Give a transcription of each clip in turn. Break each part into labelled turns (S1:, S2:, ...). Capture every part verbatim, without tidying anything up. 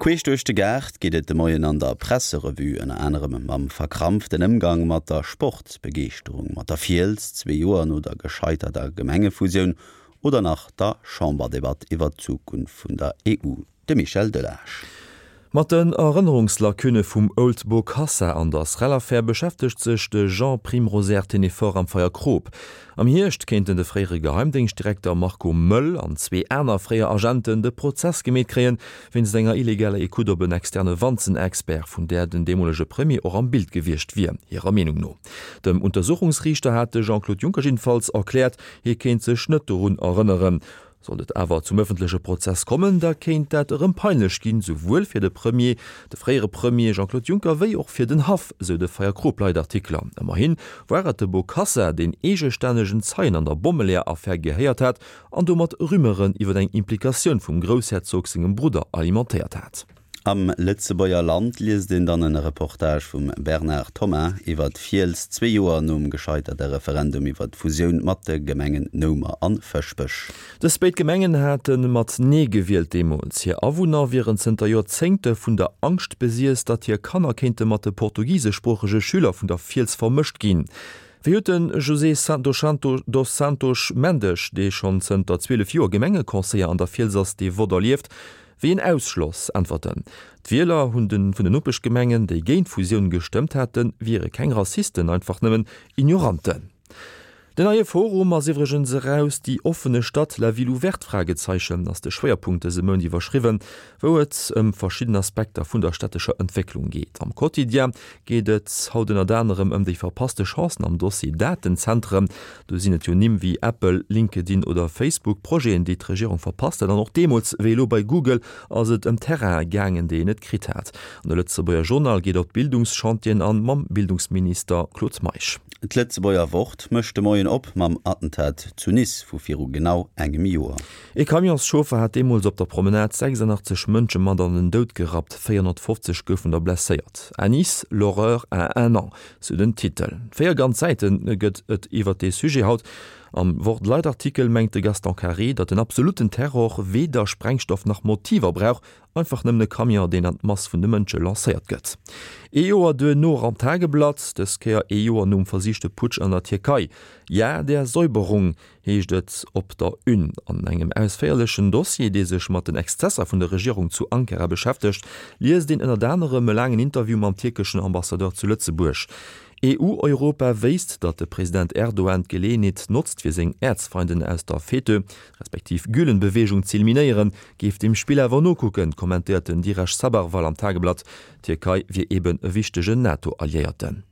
S1: Queesch duerch de Gaart geet et de Moien an der Presserevue ënner anerem mam verkrampften Ëmgang mat der Sportsbegeeschterung, mat der Fiels zwee Joer no der gescheiterter Gemengefusioun oder nach der Chamberdebatt iwwer d'Zukunft vun der E U. De Michel Delage.
S2: Mat den Erënnerungslacunne vum Ould Bokassa an der Srel-Affär beschäftegt sech de Jean Primrosère Ténéfort am Feierkrop. Am Hierscht kéinten de fréiere Geheimdéngschtdirekter Marco Möll an zwee aner fréier Agenten de Prozess gemeet kréien, wéinst enger illegaler Ecoute op en externe Wanzenexpert, vun där den deemolege Premier och am Bild gewiescht wier, hirer Meenung no. Dem Untersuchungsriichter hat de Jean-Claude Juncker jiddefalls erkläert, hie kéint sech net dorun erënneren. Sollt et awer zum ëffentleche Prozess kommen, da kéint dat erëm peinlech ginn, souwuel fir de Premier, de fréiere Premier Jean-Claude Juncker, wéi och fir den Haff, sou de Feierkrop-Leitartikler. Ëmmerhi war et de Bokassa, deen eegestännegen Zeien an der Bommeleeër-Affär gehéiert hat an domat Rumeuren iwwer eng Implikatioun vum Groussherzog sengem Brudder alimentéiert hat.
S1: Am Lëtzebuerger Land liest een dann e Reportage vum Bernard Thomas iwwer d'Fiels zwee Joer nom gescheiterte Referendum iwwer d'Fusioun mat de Gemengen Noumer an Fëschbech.
S2: Dës béid Gemengen hate mat Nee gewielt deemools. Hir Awunner wieren zënter Joerzéngte vun der Angscht besiess, datt hir Kanner kéinte mat de portugiseschsproochege Schüler vun der Fiels vermëscht ginn. Wéi huet de José dos Santos Mendes, dee schonn zënter zwielef Joer Gemengeconseiller an der Fiels ass, dee Vott erlieft? Wéi een Ausschloss, äntwert en. D'Wieler vun den Nopeschgemengen, déi géint d'Fusioun gestëmmt haten, wiere keng Rassisten, einfach nëmmen Ignoranten. Den neie Forum ass iwwregens eraus, Die offene Stadt, la ville ouverte Fragezeichen ass de Schwéierpunkt dëse Mount iwwerschriwwen, wou et ëm verschidden Aspekter vun der stättescher Entwécklung geet. Am Quotidien geet et haut ënnert anerem ëm déi verpasste Chancen am Dossier Datenzentren. Do sinn et jo Nimm wéi Apple, LinkedIn oder Facebook, Projeten, déi d'Regierung verpasst huet. An och deemools, wéi elo bei Google, ass et ëm Terraine gaangen, déi een net kritt hat. An de Lëtzebuerger Journal geet op d'Bildungschantieren an, mam Bildungsminister Claude Meisch.
S1: D'Lëtzebuerger Wort mécht de Moien op mam Attentat zu Nice vu viru genau engem Joer.
S2: E Camionschauffer hat deemools op der Promenade sechsandachtzeg Mënsche mat an den Doud gerappt, véierhonnertfofzeg goufen der blesséiert. À Nice, l'horreur a un an, sou den Titel. Véier ganz Säite gëtt et iwwer dee Sujet haut. Am Wort-Leitartikel mengt de Gaston Carré, datt den absolutten Terror weder Sprengstoff nach Motiver brauch, einfach nëmmen e Camion, deen an d'Mass vun de Mënsche lancéiert gëtt. Ee Joer duerno am Tageblatt, dës Kéier ee Joer nom versichte Putsch an der Tierkei. Ja der Säuberung, heescht et op der Une. An engem ausféierlechen Dossier, dee sech mat den Exzesser vun der Regierung zu Ankara beschäftegt, liest een ënnert anerem e laangen Interview mam tierkeschen Ambassadeur zu Lëtzebuerg. E U-Europa wéisst, datt de President Erdogan d'Geleeënheet notzt fir seng Äerzfeinden aus der FETÖ, respektiv Gülen-Beweegung z'eliminéieren, géif dem Spill awer nokucken, kommentéiert den Diresh Sabharwal am Tageblatt. D'Tierkei wier eben e wichtegen NATO-Alliéierten.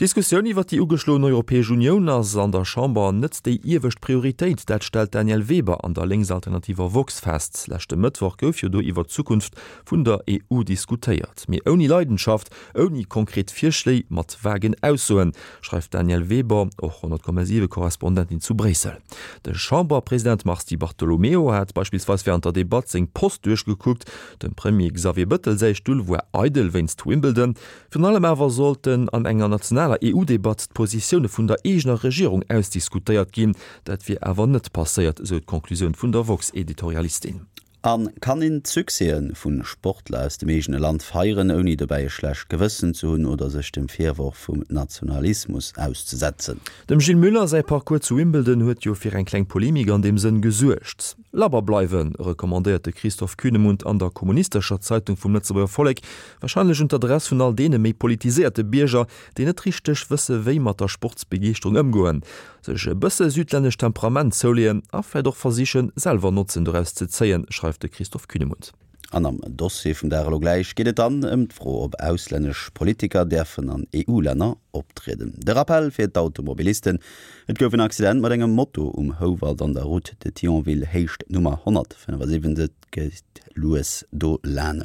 S2: D'Diskussioun iwwer déi ugeschloen Europäesch Unioun ass an der Chamber net déi iewescht Prioritéit, dat stellt d'Danièle Weber an der lénksalternativer Woxx fest. Leschte Mëttwoch gouf jo do iwwer d'Zukunft vun der E U diskutéiert. Mee ouni Leidenschaft, ouni konkret Virschléi, mat vagen Aussoen, schreift d'Danièle Weber, och honnert Komma siwe Korrespondentin zu Bréissel. De Chamberpresident Mars Di Bartolomeo hat beispillsweis wärend der Debatt seng Post duerchgekuckt, dem Premier Xavier Bëttel säi Stull war eidel wéinst Wimbledon. Virun allem awer sollten an enger nationaler E U-Debatt d'Positioune vun der eegener Regierung ausdiskutéiert ginn. Dat wier awer net passéiert, esou d'Conclusioun vun der Woxx-Editorialistin.
S1: A kann een d'Succèse vu Sportler aus dem eegene Land feieren, ouni dobäi e schlecht Gewëssen ze hunn oder sech dem Virworf vum Nationalismus auszesetzen?
S2: Dem Gilles Müller säi Parcours zu Wimbledon huet jo fir eng kleng Polemik an deem Sënn gesuergt. Labber bleiwen, recommandéiert de Christoph Kühnemund an der Kommunistescher Zeitung vum Lëtzebuerger Vollek, warscheinlech un d'Adress vun all deene méi politiséierte Bierger, déi net richteg wësse wéi mat der Sportsbegeeschterung ëmgoen, sech e bësse südlännescht Temperament zouleeën a vläicht och versichen, selwer Notzen doraus ze zéien, schreift de Christoph Kühnemund.
S1: An am Dossier vum Dag elo gläich geet et dann ëm d'Fro, ob auslännesch Politiker däerfen an E U-Länner optrieden. De Rappell fir d'Automobilisten, Et gouf en Accident mat engem Moto um Houwald an der Route de Thionville, Héicht Nummer honnertfënnefasiwwenzeg, gitt lues do laanescht.